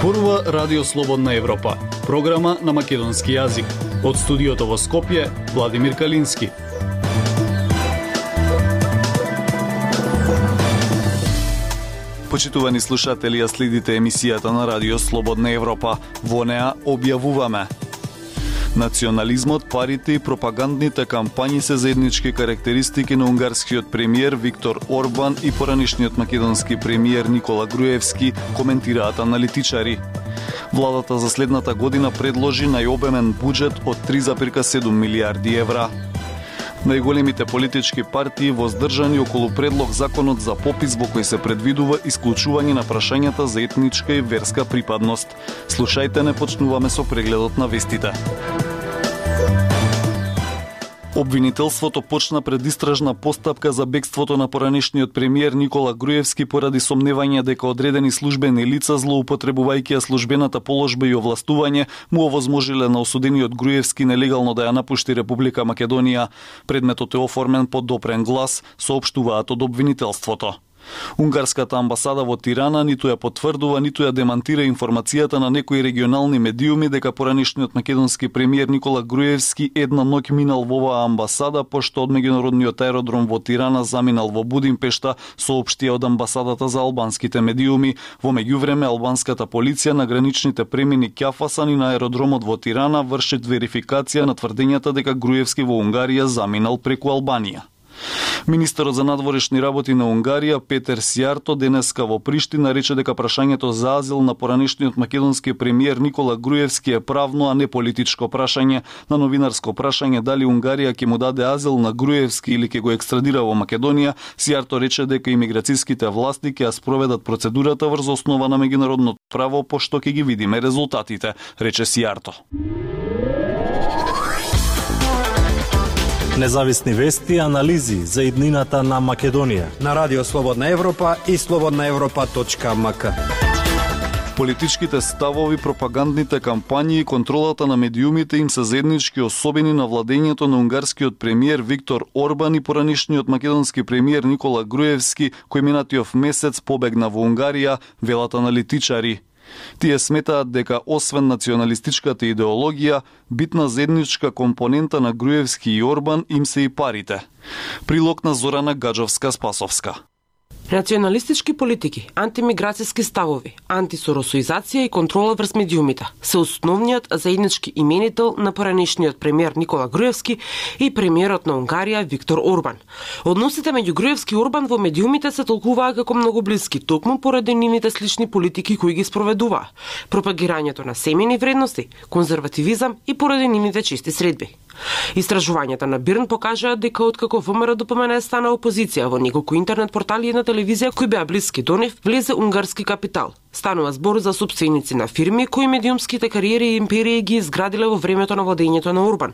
Зборува Радио Слободна Европа, програма на македонски јазик. Од студиото во Скопје, Владимир Калински. Почитувани слушатели, ја следите емисијата на Радио Слободна Европа. Во неа објавуваме: национализмот, парите и пропагандните кампањи се заеднички карактеристики на унгарскиот премиер Виктор Орбан и поранишниот македонски премиер Никола Груевски, коментираат аналитичари. Владата за следната година предложи најобемен буџет од 3,7 милиарди евра. Најголемите политички партии воздржани околу предлог законот за попис во кој се предвидува исклучување на прашањата за етничка и верска припадност. Слушајте, не почнуваме со прегледот на вестите. Обвинителството почна предистражна постапка за бегството на поранишниот премиер Никола Груевски поради сомневање дека одредени службени лица, злоупотребувајќи ја службената положба и овластување, му овозможиле на осудениот Груевски нелегално да ја напушти Република Македонија. Предметот е оформен под допрен глас, соопштуваат од обвинителството. Унгарската амбасада во Тирана ниту ја потврдува, ниту ја демантира информацијата на некои регионални медиуми дека поранишниот македонски премиер Никола Груевски една ноќ минал во оваа амбасада, пошто од меѓународниот аеродром во Тирана заминал во Будимпешта, соопштија од амбасадата за албанските медиуми. Во меѓувреме, албанската полиција на граничните премини Кјафасан и на аеродромот во Тирана вршат верификација на тврдењата дека Груевски во Унгарија заминал преку Албанија. Министерот за надворешни работи на Унгарија Петер Сијарто денеска во Приштина рече дека прашањето за азил на поранишниот македонски премиер Никола Груевски е правно, а не политичко прашање. На новинарско прашање дали Унгарија ќе му даде азил на Груевски или ќе го екстрадира во Македонија, Сијарто рече дека имиграцијските власти ќе ја спроведат процедурата врз основа на меѓународното право, пошто ќе ги видиме резултатите, рече Сијарто. Независни вести и анализи за иднината на Македонија на Радио Слободна Европа и slobodnaevropa.mk. Политичките ставови, пропагандните кампањи и контролата на медиумите им се заеднички особени на владењето на унгарскиот премиер Виктор Орбан и поранишниот македонски премиер Никола Груевски, кој минатиот месец побегна во Унгарија, велат аналитичари. Тие сметаат дека освен националистичката идеологија, битна заедничка компонента на Груевски и Орбан им се и парите. Прилог на Зорана Гаджовска-Спасовска. Националистички политики, антимиграцијски ставови, антисоросоизација и контрола врз медиумите се основниот заеднички именител на поранишниот премиер Никола Груевски и премиерот на Унгарија Виктор Орбан. Односите меѓу Груевски и Орбан во медиумите се толкуваа како многу блиски, токму поради нивните слични политики кои ги спроведуваа, пропагирањето на семејни вредности, конзервативизам и поради нивните чести средби. Истражувањата на Бирн покажаат дека откако ВМРО ДПМН стана опозиција во неколку интернет портали и на телевизија кои беа блиски до нив, влезе унгарски капитал. Станува збор за сопственици на фирми кои медиумските кариери и империи ги изградиле во времето на владењето на Орбан,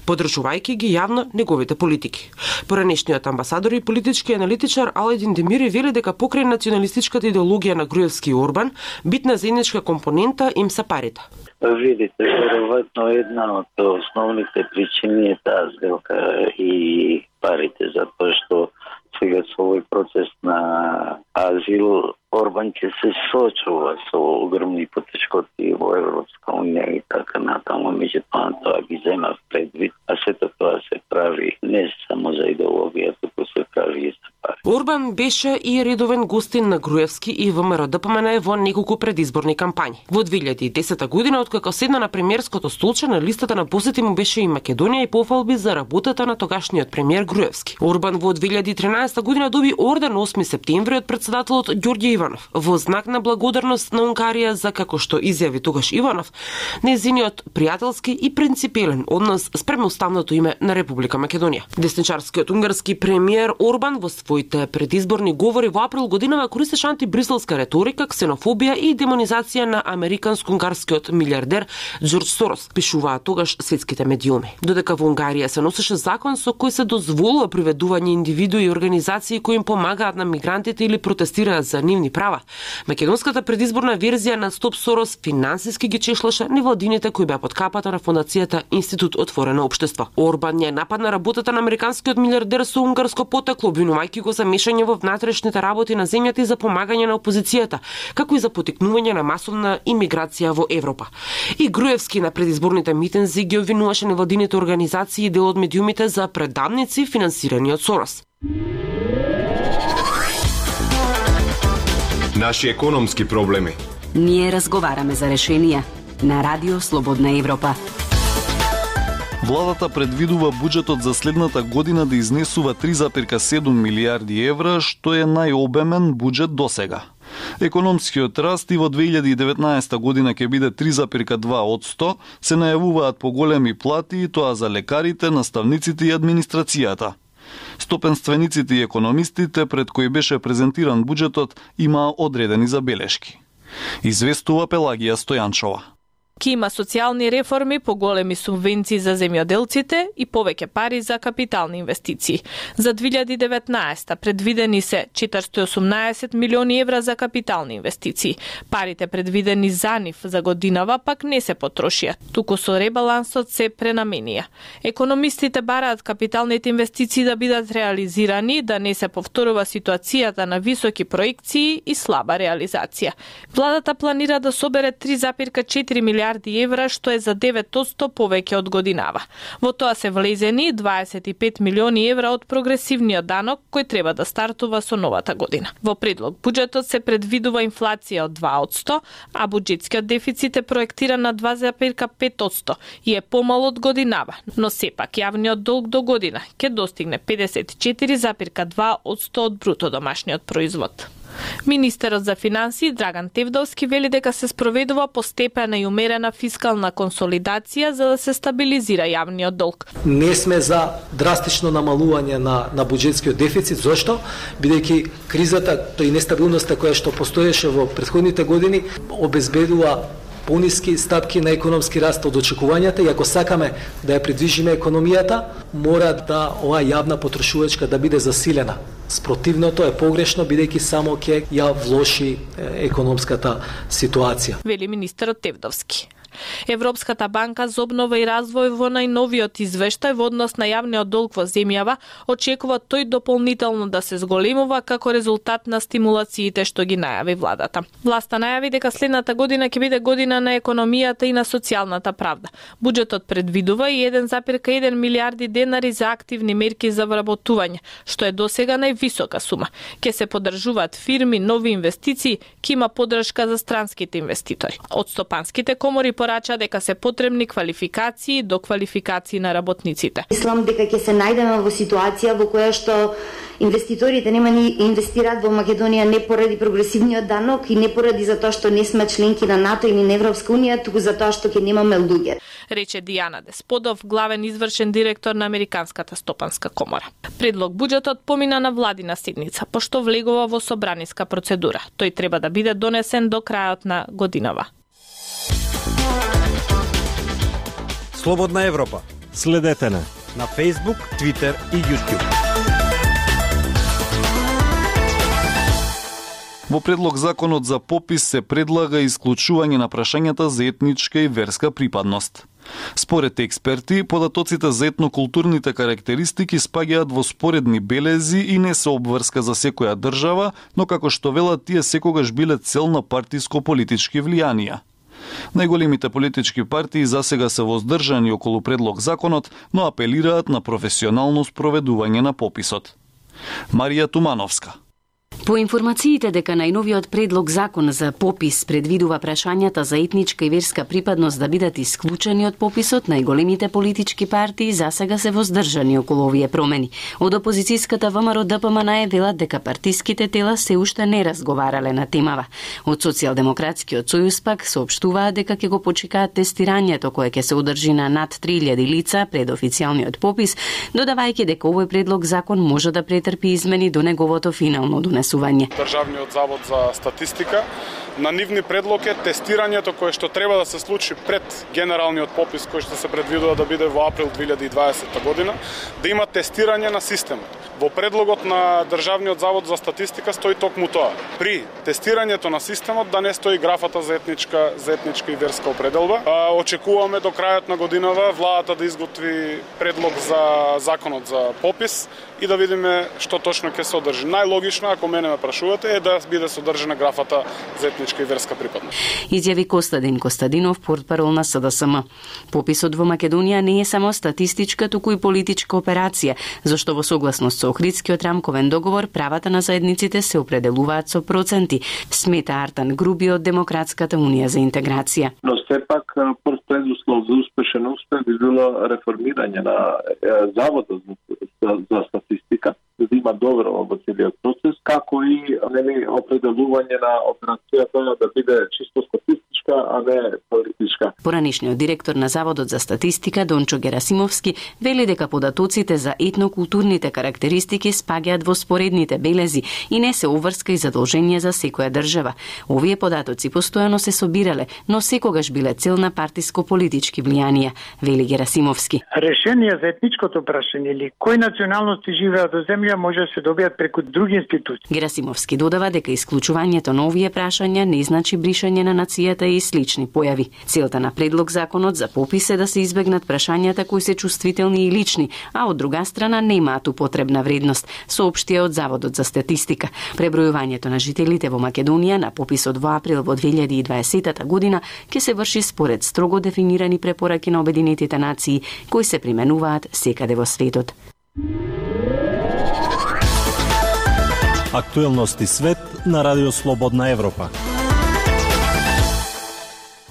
поддржувајќи ги јавно неговите политики. Поранешниот амбасадор и политички аналитичар Аладин Демири вели дека покрај националистичката идеологија на Груевски и Орбан, битна заедничка компонента им се парите. Видите, веројатно една од основните причини е таа сделка и парите, затоа што сега со овој процес на азил Орбан ќе се соочува со огромни потешкоти во Европска унија и така натаму, меѓутоа тоа ги зема предвид, а сето тоа се прави не само за идеологија, туку се прави и за пари. Орбан беше и редовен гостин на Груевски и ВМРО ДПМН во неколку предизборни кампањи. Во 2010 година, откако седна на премиерското столче, на листата на посети му беше и Македонија и пофалби за работата на тогашниот премиер Груевски. Орбан во 2013 година доби орден 8 септември од претседателот Ѓорѓе Иванов во знак на благодарност на Унгарија за, како што изјави тогаш Иванов, нејзиниот пријателски и принципелен однос спрема уставното име на Република Македонија. Десничарскиот унгарски премиер Орбан во своите предизборни говори во април годинава користеше антибриселска реторика, ксенофобија и демонизација на американско-унгарскиот милиардер Џорџ Сорос, пишуваат тогаш светските медиуми. Додека во Унгарија се носеше закон со кој се дозволува приведување индивидуи и организации кои им помагаат на мигрантите или протестираат за нивни права, македонската предизборна верзија на Стоп Сорос финансиски ги чешлаше невладините кои беа под капата на фондацијата Институт Отворено општество. Орбан ја нападна работата на американскиот милиардер со унгарско потекло, обвинувајќи го за мешање во внатрешните работи на земјата и за помагање на опозицијата, како и за поттикнување на масовна имиграција во Европа. И Груевски на предизборните митинзи ги обвинуваше невладините организации и дел од медиумите за предавници финансирани од Сорос. Наши економски проблеми. Ние разговараме за решенија на Радио Слободна Европа. Владата предвидува буџетот за следната година да изнесува 3,7 милиарди евра, што е најобемен буџет досега. Економскиот раст и во 2019 година ќе биде 3,2%, се најавуваат поголеми плати и тоа за лекарите, наставниците и администрацијата. Стопенствениците и економистите пред кои беше презентиран буџетот имаа одредени забелешки. Известува Пелагија Стојанчова. Ки има социјални реформи, поголеми субвенции за земјоделците и повеќе пари за капитални инвестиции. За 2019 предвидени се 418 милиони евра за капитални инвестиции. Парите предвидени за нив за годинава пак не се потрошија, туку со ребалансот се пренаменија. Економистите бараат капиталните инвестиции да бидат реализирани, да не се повторува ситуацијата на високи проекции и слаба реализација. Владата планира да собере 3,4 милиарди евра, што е за 9% повеќе од годинава. Во тоа се влезени 25 милиони евра од прогресивниот данок кој треба да стартува со новата година. Во предлог буџетот се предвидува инфлација од 2%, а буџетскиот дефицит е проектиран на 2,5% и е помал од годинава, но сепак јавниот долг до година ќе достигне 54,2% од бруто домашниот производ. Министерот за финансии Драган Тевдовски вели дека се спроведува постепена и умерена фискална консолидација за да се стабилизира јавниот долг. Не сме за драстично намалување на буџетскиот дефицит. Зошто? Бидејќи кризата и нестабилноста која што постоеше во претходните години обезбедува пониски стапки на економски раст од очекувањата и ако сакаме да ја придвижиме економијата, мора да оваа јавна потрошувачка да биде засилена. Спротивното е погрешно, бидејќи само ќе ја влоши економската ситуација. Вели министерот Тевдовски. Европската банка за обнова и развој во најновиот извештај во однос на јавниот долг во земјава очекува тој дополнително да се зголемува како резултат на стимулациите што ги најави владата. Власта најави дека следната година ќе биде година на економијата и на социјалната правда. Буџетот предвидува и 1,1 милиарди денари за активни мерки за вработување, што е досега највисока сума. Ќе се поддржуваат фирми, нови инвестиции, ќе има поддршка за странските инвеститори. Од стопанските комори порача дека се потребни квалификации и доквалификации на работниците. Мислам дека ќе се најдеме во ситуација во која што инвеститорите нема ни инвестираат во Македонија не поради прогресивниот данок и не поради затоа што не сме членки на НАТО или на Европска унија, туку затоа што ќе немаме луѓе. Рече Дијана Десподов, главен извршен директор на Американската стопанска комора. Предлог буџетот помина на владина седница, пошто влегува во собраниска процедура. Тој треба да биде донесен до крајот на годинава. Слободна Европа. Следете на Facebook, Twitter и YouTube. Во предлог законот за попис се предлага исклучување на прашањата за етничка и верска припадност. Според експерти, податоците за етнокултурните карактеристики спаѓаат во споредни белези и не се обврска за секоја држава, но како што велат тие секогаш биле цел на партиско-политички влијанија. Најголемите политички партии засега се воздржани околу предлог законот, но апелираат на професионално спроведување на пописот. Марија Тумановска. По информациите дека најновиот предлог закон за попис предвидува прашањата за етничка и верска припадност да бидат исклучени од пописот, најголемите политички партии засега се воздржани околу овие промени. Од опозицијската ВМРО ДПМН велат дека партиските тела се уште не разговарале на темава. Од Социјалдемократскиот сојуз пак соопштуваат дека ќе го почекаат тестирањето кое ќе се одржи на над 3000 лица пред официјалниот попис, додавајќи дека овој предлог закон може да претрпи измени до неговото финално донесување. Државниот завод за статистика на нивни предлог е тестирањето кое што треба да се случи пред генералниот попис кој што се предвидува да биде во април 2020 година, да има тестирање на системот. Во предлогот на Државниот завод за статистика стои токму тоа. При тестирањето на системот да не стои графата за етничка и верска определба. Очекуваме до крајот на годинава владата да изготви предлог за законот за попис и да видиме што точно ќе се одржи. Најлогично, ако мене ме прашувате, е да биде содржана графата за етничка и верска припадност. Изјави Костадин Костадинов, портпарол на СДСМ. Пописот во Македонија не е само статистичка, туку и политичка операција, зашто во согласност со Охридскиот рамковен договор правата на заедниците се определуваат со проценти, смета Артан Груби од Демократската унија за интеграција. Но сепак прв предуслов за успешен успех би било реформирање на Заводот за статистика, за да има добро во целиот процес, како и определување на операцијата да биде чисто статистичка, а не политичка. Поранишниот директор на Заводот за статистика Дончо Герасимовски вели дека податоците за етнокултурните карактеристики спаѓаат во споредните белези и не се обврска и задолжение за секоја држава. Овие податоци постојано се собирале, но секогаш биле цел на партиско-политички влијанија, вели Герасимовски. Решение за етничкото прашање или кои националности живеат во земја може да се добијат преку други институции. Герасимовски додава дека исклучувањето на овие прашања не значи бришање на нацијата и слични појави. Целта на предлог законот за попис е да се избегнат прашањата кои се чувствителни и лични, а од друга страна немаат употребна вредност, соопштија од Заводот за статистика. Пребројувањето на жителите во Македонија на пописот во април во 2020 година ќе се врши според строго дефинирани препораки на Обединетите нации кои се применуваат секаде во светот. Актуелности свет на Радио Слободна Европа.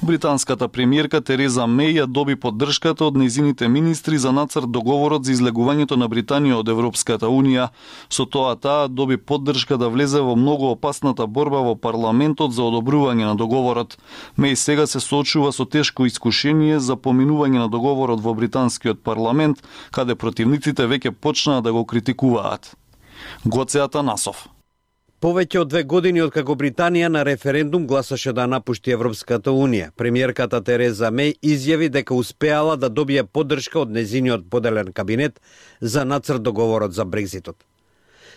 Британската премиерка Тереза Меј ја доби поддршката од нејзините министри за нацрт договорот за излегувањето на Британија од Европската Унија. Со тоа таа доби поддршка да влезе во многу опасната борба во парламентот за одобрување на договорот. Меј сега се соочува со тешко искушение за поминување на договорот во британскиот парламент, каде противниците веќе почнаа да го критикуваат. Гоце Атанасов. Повеќе од 2 години откако Британија на референдум гласаше да напушти Европската Унија, премиерката Тереза Меј изјави дека успеала да добие поддршка од нејзиниот поделен кабинет за нацрт договорот за Брекзитот.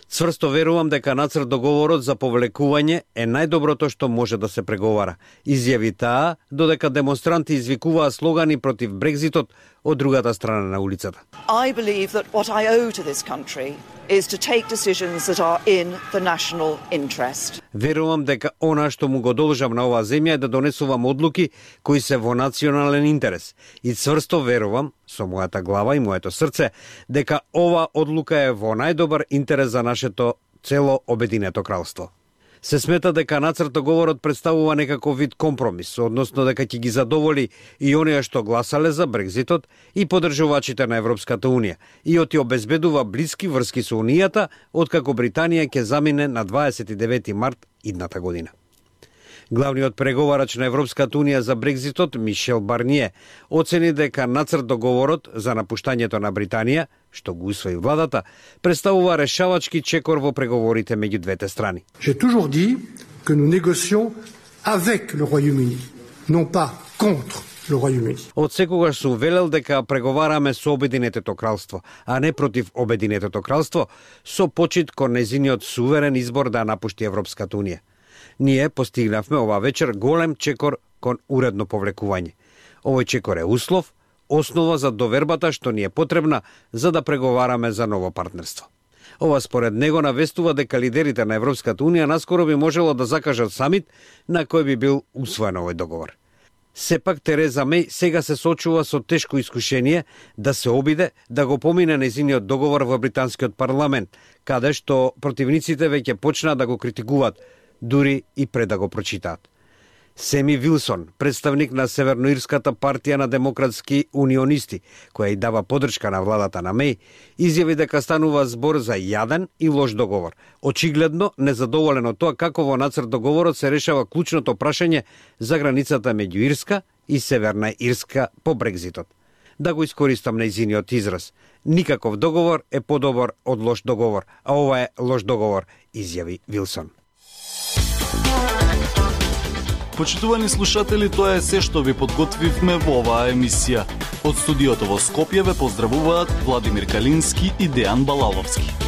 Цврсто верувам дека нацрт договорот за повлекување е најдоброто што може да се преговара, изјави таа, додека демонстранти извикуваа слогани против Брекзитот од другата страна на улицата. I believe that what I owe to this country is to take decisions that are in the national interest. Верувам дека она што му го должам на оваа земја е да донесувам одлуки кои се во национален интерес. И цврсто верувам, со мојата глава и моето срце, дека ова одлука е во најдобар интерес за нашето цело Обединето кралство. Се смета дека нацрт договорот представува некаков вид компромис, односно дека ќе ги задоволи и оние што гласале за Брекзитот и поддржувачите на Европската Унија и оти обезбедува блиски врски со Унијата, откако Британија ќе замине на 29 март идната година. Главниот преговарач на Европската Унија за Брекзитот, Мишел Барние, оцени дека нацрт договорот за напуштањето на Британија, што го усвои владата, представува решавачки чекор во преговорите меѓу двете страни. J'ai toujours dit que nous négocions avec le Royaume-Uni, non pas contre le Royaume-Uni. Од секогаш сум велел дека преговараме со Обединетото кралство, а не против Обединетото кралство, со почит кон нејзиниот суверен избор да напушти Европската Унија. Ние постигнавме ова вечер голем чекор кон уредно повлекување. Овој чекор е услов, основа за довербата што ни е потребна за да преговараме за ново партнерство. Ова според него навестува дека лидерите на Европската Унија наскоро би можело да закажат самит на кој би бил усвоен овој договор. Сепак Тереза Меј сега се соочува со тешко искушение да се обиде да го помине нејзиниот договор во британскиот парламент, каде што противниците веќе почнаа да го критикуваат, дури и пред да го прочитаат. Семи Вилсон, представник на Северноирската партија на демократски унионисти, која и дава поддршка на владата на Меј, изјави дека станува збор за јаден и лош договор. Очигледно незадоволен од тоа како во нацрт договорот се решава клучното прашање за границата меѓу Ирска и Северна Ирска по Брекзитот. Да го искористам нејзиниот израз. Никаков договор е подобар од лош договор, а ова е лош договор, изјави Вилсон. Почитувани слушатели, тоа е се што ви подготвивме во оваа емисија. Од студиото во Скопје ве поздравуваат Владимир Калински и Дејан Балаловски.